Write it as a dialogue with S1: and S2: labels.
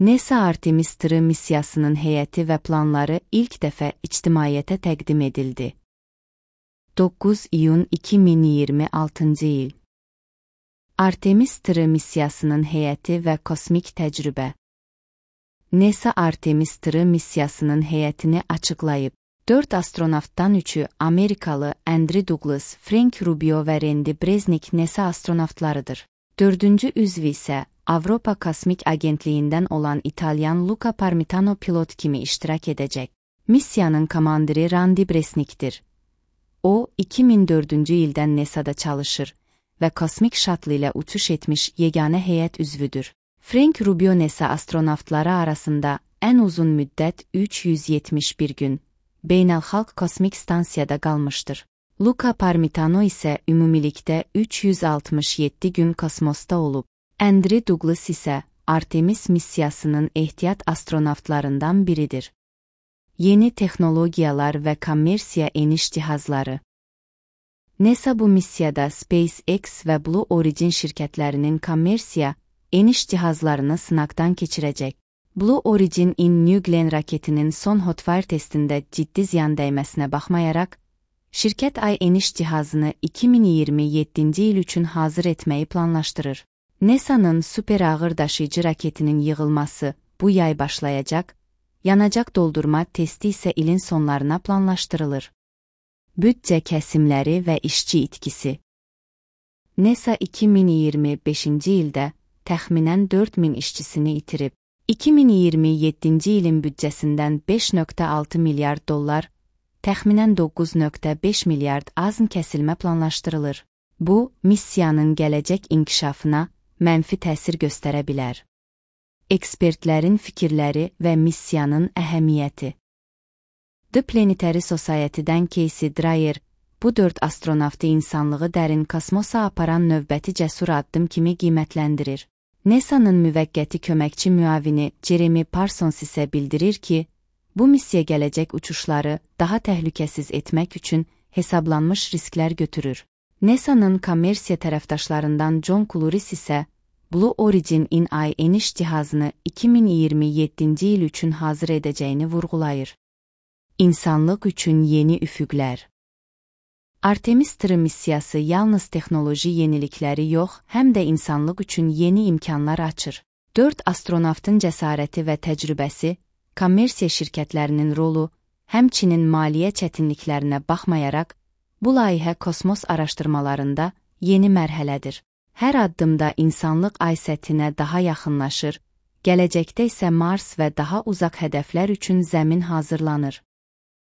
S1: NASA Artemis-3 missiyasının heyəti və planları ilk dəfə ictimaiyyətə təqdim edildi. 9 iyun 2026 il. Artemis-3 missiyasının heyəti və kosmik təcrübə. NASA Artemis-3 missiyasının heyətini açıqlayıb. 4 astronavtdan 3-ü Amerikalı Andrew Douglas, Frank Rubio və Randy Bresnik NASA astronavtlarıdır. 4-cü üzv isə Avropa Kosmik Agentliyindən olan İtalyan Luca Parmitano pilot kimi iştirak edəcək. Missiyanın komandiri Randy Bresnikdir. O, 2004-cü ildən NASA-da çalışır və kosmik şatlı ilə uçuş etmiş yeganə heyət üzvüdür. Frank Rubio NASA astronavtları arasında ən uzun müddət 371 gün beynəlxalq kosmik stansiyada qalmışdır. Luca Parmitano isə ümumilikdə 367 gün kosmosda olub. Andrew Douglas isə Artemis missiyasının ehtiyat astronavtlarından biridir. Yeni texnologiyalar və kommersiya eniş cihazları. NASA bu missiyada SpaceX və Blue Origin şirkətlərinin kommersiya eniş cihazlarını sınaqdan keçirəcək. Blue Origin New Glenn raketinin son hotfire testində ciddi ziyan dəyməsinə baxmayaraq, şirkət ay eniş cihazını 2027-ci il üçün hazır etməyi planlaşdırır. NASA'nın super ağır daşıyıcı raketinin yığılması bu yay başlayacaq, yanacaq doldurma testi isə ilin sonlarına planlaşdırılır. Büdcə kəsimləri və işçi itkisi. NASA 2025-ci ildə təxminən 4000 işçisini itirib. 2027-ci ilin büdcəsindən 5,6 milyard dollar, təxminən 9,5 milyard azm kəsilmə planlaşdırılır. Bu, missiyanın gələcək inkişafına mənfi təsir göstərə bilər. Ekspertlərin fikirləri və missiyanın əhəmiyyəti. The Planetary Society-dən Casey Dreyer, bu 4 astronavtı insanlığı dərin kosmosa aparan növbəti cəsur addım kimi qiymətləndirir. NASA'nın müvəqqəti köməkçi müavini Jeremy Parsons isə bildirir ki, bu missiya gələcək uçuşları daha təhlükəsiz etmək üçün hesablanmış risklər götürür. NASA'nın kommersiya tərəfdaşlarından John Cluris isə Blue Origin ay eniş cihazını 2027-ci il üçün hazır edəcəyini vurğulayır. İnsanlıq üçün yeni üfüqlər. Artemis-3 missiyası yalnız texnoloji yenilikləri yox, həm də insanlıq üçün yeni imkanlar açır. 4 astronavtın cəsarəti və təcrübəsi, kommersiya şirkətlərinin rolu, həmçinin maliyyə çətinliklərinə baxmayaraq, bu layihə kosmos araşdırmalarında yeni mərhələdir. Hər addımda insanlıq ay səthinə daha yaxınlaşır, gələcəkdə isə Mars və daha uzaq hədəflər üçün zəmin hazırlanır.